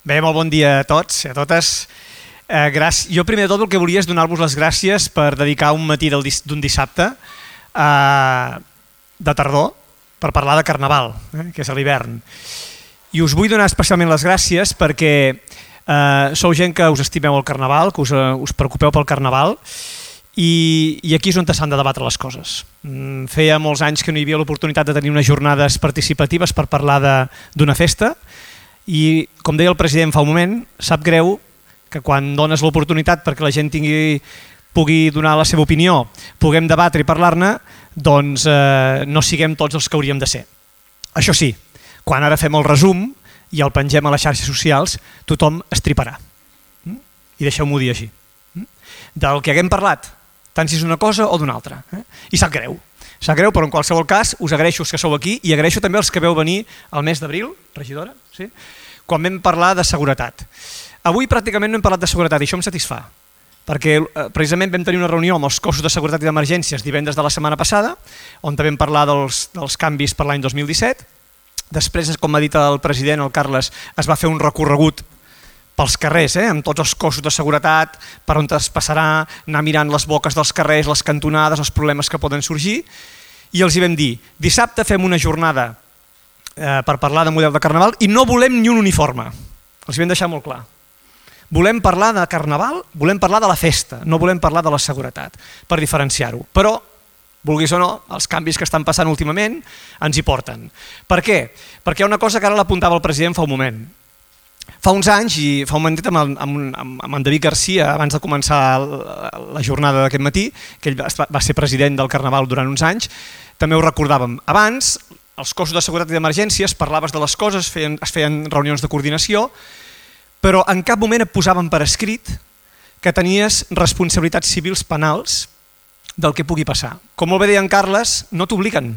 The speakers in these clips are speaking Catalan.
Bé, molt bon dia a tots i a totes. Jo primer de tot el que volia és donar-vos les gràcies per dedicar un matí d'un dissabte de tardor per parlar de Carnaval, que és a l'hivern. I us vull donar especialment les gràcies perquè sou gent que us estimeu el Carnaval, que us preocupeu pel Carnaval i aquí és on s'han de debatre les coses. Feia molts anys que no hi havia l'oportunitat de tenir unes jornades participatives per parlar d'una festa i, com deia el president fa un moment, sap greu que quan dones l'oportunitat perquè la gent pugui donar la seva opinió, puguem debatre i parlar-ne, doncs no siguem tots els que hauríem de ser. Això sí, quan ara fem el resum i el pengem a les xarxes socials, tothom estriparà. I deixeu-m'ho dir així. Del que haguem parlat, tant si és una cosa o d'una altra. I sap greu. Sap greu, però en qualsevol cas us agraeixo els que sou aquí i agraeixo també els que veu venir al mes d'abril, regidora, sí? Quan vam parlar de seguretat. Avui pràcticament no hem parlat de seguretat i això em satisfà, perquè precisament vam tenir una reunió amb els cossos de seguretat i d'emergències divendres de la setmana passada, on també vam parlar dels canvis per l'any 2017. Després, com ha dit el president, el Carles, es va fer un recorregut pels carrers, amb tots els cossos de seguretat, per on es passarà, anar mirant les boques dels carrers, les cantonades, els problemes que poden sorgir, i els hi vam dir, dissabte fem una jornada per parlar de model de Carnaval i no volem ni un uniforme. Els hi vam deixar molt clar. Volem parlar de Carnaval, volem parlar de la festa, no volem parlar de la seguretat, per diferenciar-ho. Però, vulguis o no, els canvis que estan passant últimament ens hi porten. Per què? Perquè hi ha una cosa que ara l'apuntava el president fa un moment. Fa uns anys, i fa un momentet amb en David Garcia, abans de començar la jornada d'aquest matí, que ell va ser president del Carnaval durant uns anys, també ho recordàvem. Abans, els cossos de seguretat i d'emergències, parlaves de les coses, es feien reunions de coordinació, però en cap moment et posaven per escrit que tenies responsabilitats civils penals del que pugui passar. Com molt bé deia en Carles, no t'obliguen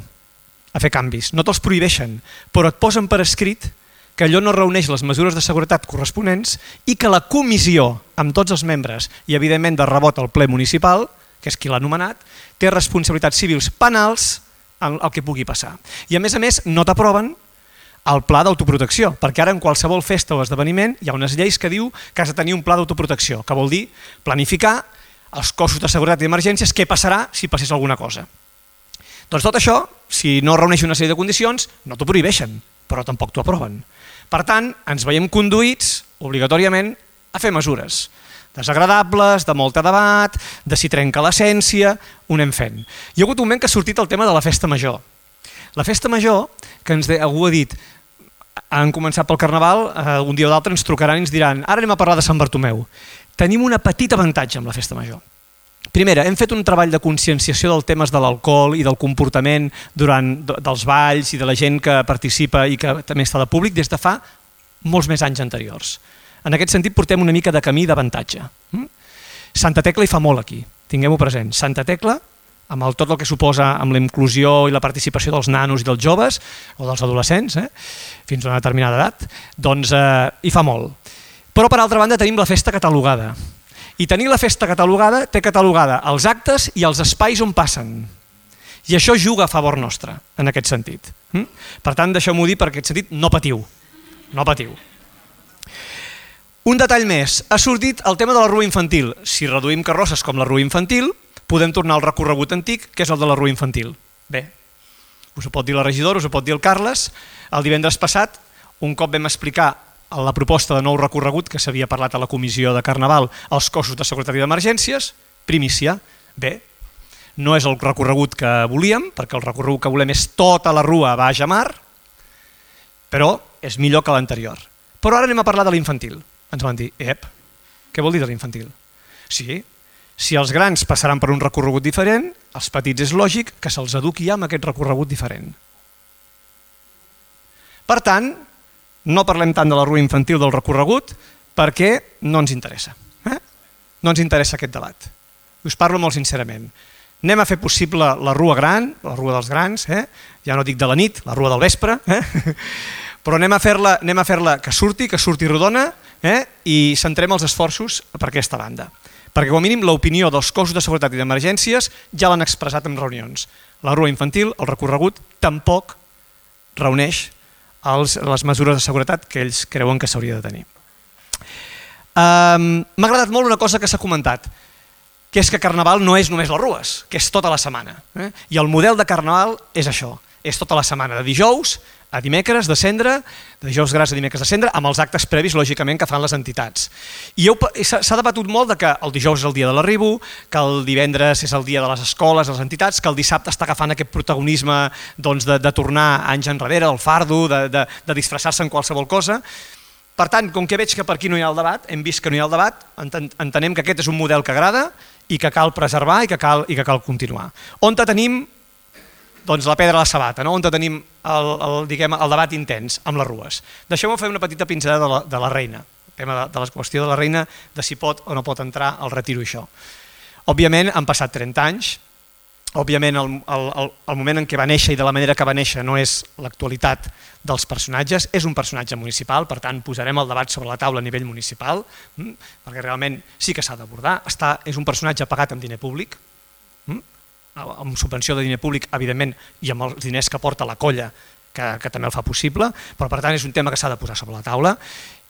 a fer canvis, no te'ls prohibeixen, però et posen per escrit que allò no reuneix les mesures de seguretat corresponents i que la comissió, amb tots els membres i evidentment de rebot al ple municipal, que és qui l'ha nomenat, té responsabilitats civils penals en el que pugui passar. I a més, no t'aproven el pla d'autoprotecció, perquè ara en qualsevol festa o esdeveniment hi ha unes lleis que diu que has de tenir un pla d'autoprotecció, que vol dir planificar els cossos de seguretat i d'emergències què passarà si passés alguna cosa. Doncs tot això, si no reuneix una sèrie de condicions, no t'ho prohibeixen, però tampoc t'ho aproven. Per tant, ens veiem conduïts, obligatòriament, a fer mesures desagradables, de molt debat, de si trenca l'essència, ho anem fent. Hi ha hagut un moment que ha sortit el tema de la festa major. La festa major, que algú ha dit, han començat pel Carnaval, un dia o d'altre ens trucaran i ens diran ara anem a parlar de Sant Bartomeu. Tenim un petit avantatge amb la festa major. Primera, hem fet un treball de conscienciació dels temes de l'alcohol i del comportament dels balls i de la gent que participa i que també està de públic des de fa molts més anys anteriors. En aquest sentit portem una mica de camí d'avantatge. Santa Tecla hi fa molt aquí, tinguem-ho present. Santa Tecla, amb tot el que suposa amb la inclusió i la participació dels nanos i dels joves, o dels adolescents, fins a una determinada edat, doncs hi fa molt. Però per altra banda tenim la festa catalogada. I tenir la festa catalogada té catalogada els actes i els espais on passen. I això juga a favor nostre, en aquest sentit. Per tant, deixeu-m'ho dir, per aquest sentit, no patiu. No patiu. Un detall més, ha sortit el tema de la rua infantil. Si reduïm carrosses com la rua infantil, podem tornar al recorregut antic, que és el de la rua infantil. Bé, us ho pot dir la regidora, us ho pot dir el Carles. El divendres passat, un cop vam explicar la proposta de nou recorregut que s'havia parlat a la comissió de Carnaval als cossos de seguretat i d'emergències, primícia. Bé, no és el recorregut que volíem, perquè el recorregut que volem és tota la rua baix a mar, però és millor que l'anterior. Però ara anem a parlar de l'infantil. Ens van dir, què vol dir de l'infantil? Sí, si els grans passaran per un recorregut diferent, els petits és lògic que se'ls eduqui ja amb aquest recorregut diferent. Per tant, no parlem tant de la rua infantil del recorregut perquè no ens interessa. No ens interessa aquest debat. Us parlo molt sincerament. Anem a fer possible la rua gran, la rua dels grans, ja no dic de la nit, la rua del vespre, però anem a fer-la que surti rodona i centrem els esforços per aquesta banda. Perquè com a mínim l'opinió dels cossos de seguretat i d'emergències ja l'han expressat en reunions. La rua infantil, el recorregut, tampoc reuneix les mesures de seguretat que ells creuen que s'hauria de tenir. M'ha agradat molt una cosa que s'ha comentat, que és que Carnaval no és només les rues, que és tota la setmana. I el model de Carnaval és això, és tota la setmana, de dijous a dimecres de cendre, de dijous gras a dimecres de cendre, amb els actes previs, lògicament, que fan les entitats. I s'ha debatut molt de que el dijous és el dia de l'arribo, que el divendres és el dia de les escoles, les entitats, que el dissabte està agafant aquest protagonisme de tornar anys enrere, el fardo, de disfressar-se en qualsevol cosa. Per tant, com que veig que per aquí no hi ha el debat, hem vist que no hi ha el debat, entenem que aquest és un model que agrada i que cal preservar i que cal continuar. On tenim la pedra a la sabata, on tenim el debat intens amb les rues. Deixeu-me fer una petita pinzellada de la reina, el tema de la qüestió de la reina, de si pot o no pot entrar al retiro això. Òbviament han passat 30 anys, òbviament el moment en què va néixer i de la manera que va néixer no és l'actualitat dels personatges, és un personatge municipal, per tant posarem el debat sobre la taula a nivell municipal, perquè realment sí que s'ha d'abordar, és un personatge pagat amb diner públic, amb subvenció de diner públic, evidentment, i amb els diners que porta la colla, que també el fa possible, però per tant és un tema que s'ha de posar sobre la taula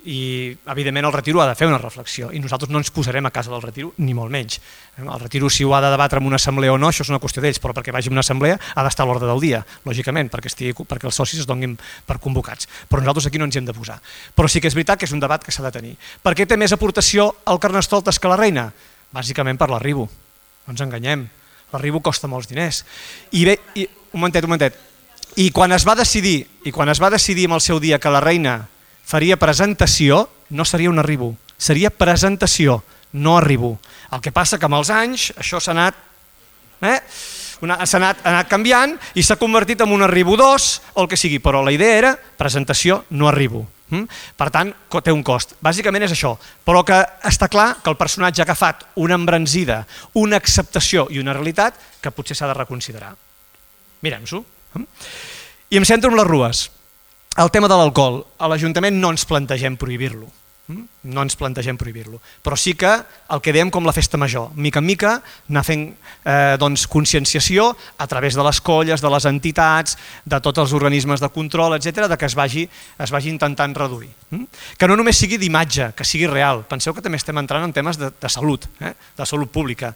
i evidentment el retiro ha de fer una reflexió i nosaltres no ens posarem a casa del retiro ni molt menys. El retiro si ho ha de debatre en una assemblea o no, això és una qüestió d'ells, però perquè vagi a una assemblea ha d'estar a l'ordre del dia, lògicament, perquè els socis es donin per convocats, però nosaltres aquí no ens hi hem de posar. Però sí que és veritat que és un debat que s'ha de tenir. Per què té més aportació el Carnestoltes que la reina? Bàsicament per l'arribo, no ens enganyem. L'arribo costa molts diners. Un momentet. I quan es va decidir en el seu dia que la reina faria presentació, no seria un arribo, seria presentació, no arribo. El que passa que amb els anys això s'ha anat canviant i s'ha convertit en un arribo 2 o el que sigui, però la idea era presentació, no arribo. Per tant, té un cost. Bàsicament és això, però que està clar que el personatge ha agafat una embranzida, una acceptació i una realitat que potser s'ha de reconsiderar. Mirem-s'ho. I em centro en les rues. El tema de l'alcohol, a l'Ajuntament no ens plantegem prohibir-lo. Però sí que el que dèiem com la festa major, mica en mica anar fent conscienciació a través de les colles, de les entitats, de tots els organismes de control, etc., que es vagi intentant reduir. Que no només sigui d'imatge, que sigui real. Penseu que també estem entrant en temes de salut, de salut pública.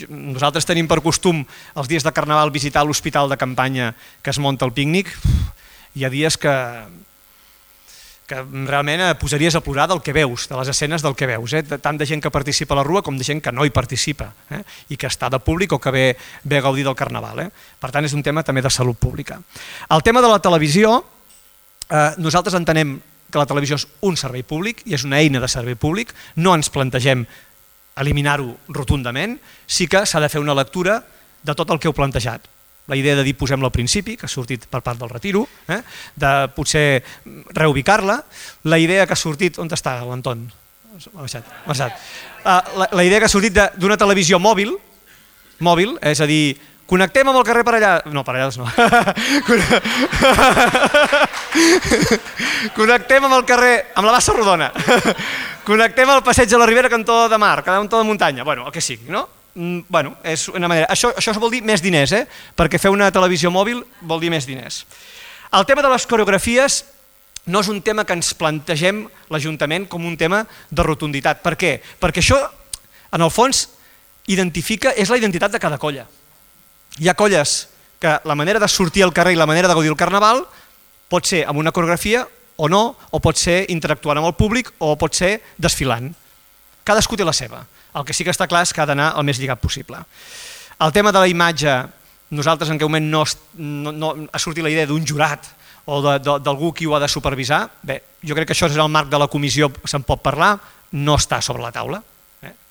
Nosaltres tenim per costum els dies de Carnaval visitar l'hospital de campanya que es munta el pícnic. Hi ha dies que realment posaries a plorar del que veus, de les escenes del que veus, tant de gent que participa a la rua com de gent que no hi participa i que està de públic o que ve a gaudir del Carnaval. Per tant, és un tema també de salut pública. El tema de la televisió, nosaltres entenem que la televisió és un servei públic i és una eina de servei públic, no ens plantegem eliminar-ho rotundament, sí que s'ha de fer una lectura de tot el que heu plantejat. La idea de dir posem-la al principi, que ha sortit per part del retiro, de potser reubicar-la, la idea que ha sortit... On està l'Anton? Ha baixat. La idea que ha sortit d'una televisió mòbil, és a dir, connectem amb el carrer per allà... No, per allà no. Connectem amb el carrer, amb la Bassa Rodona. Connectem al passeig de la Ribera, cantó de mar, cantó de muntanya, el que sigui, no? És una manera. Això vol dir més diners, perquè fer una televisió mòbil vol dir més diners. El tema de les coreografies no és un tema que ens plantegem l'Ajuntament com un tema de rotunditat. Per què? Perquè això, en el fons, és la identitat de cada colla. Hi ha colles que la manera de sortir al carrer i la manera de gaudir el Carnaval pot ser amb una coreografia o no, o pot ser interactuant amb el públic o pot ser desfilant. Cadascú té la seva. El que sí que està clar és que ha d'anar el més lligat possible. El tema de la imatge, nosaltres en aquest moment no ha sortit la idea d'un jurat o d'algú qui ho ha de supervisar. Bé, jo crec que això és el marc de la comissió, se'n pot parlar, no està sobre la taula.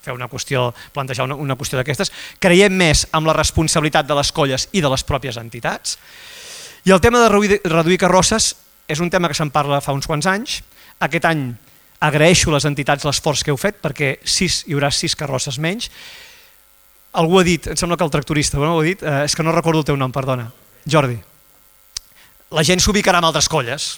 Plantejar una qüestió d'aquestes. Creiem més en la responsabilitat de les colles i de les pròpies entitats. I el tema de reduir carrosses és un tema que se'n parla fa uns quants anys. Aquest any agraeixo a les entitats l'esforç que heu fet perquè hi haurà 6 carrosses menys. Algú ha dit, em sembla que el tractorista ho ha dit, és que no recordo el teu nom, perdona, Jordi. La gent s'ubicarà en altres colles,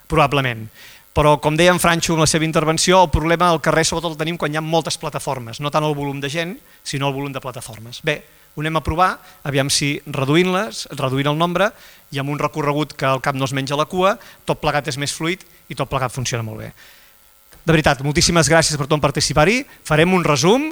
probablement, però com deia en Franxo en la seva intervenció, el problema al carrer sobretot el tenim quan hi ha moltes plataformes, no tant el volum de gent, sinó el volum de plataformes. Bé, ho anem a provar, aviam si reduint el nombre i amb un recorregut que al cap no es menja la cua, tot plegat és més fluid i tot plegat funciona molt bé. de veritat, moltíssimes gràcies per tot participar-hi. Farem un resum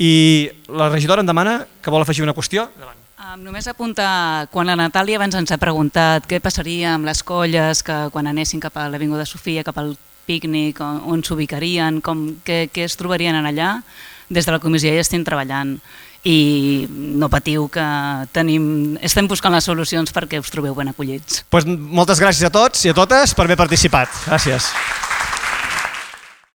i la regidora em demana que vol afegir una qüestió. Endavant. Només apuntar, quan la Natàlia abans ens ha preguntat què passaria amb les colles que quan anessin cap a l'Avinguda Sofia, cap al pícnic, on s'ubicarien, què es trobarien allà, des de la comissió ja estem treballant i no patiu que estem buscant les solucions perquè us trobeu ben acollits. Moltes gràcies a tots i a totes per haver participat. Gràcies.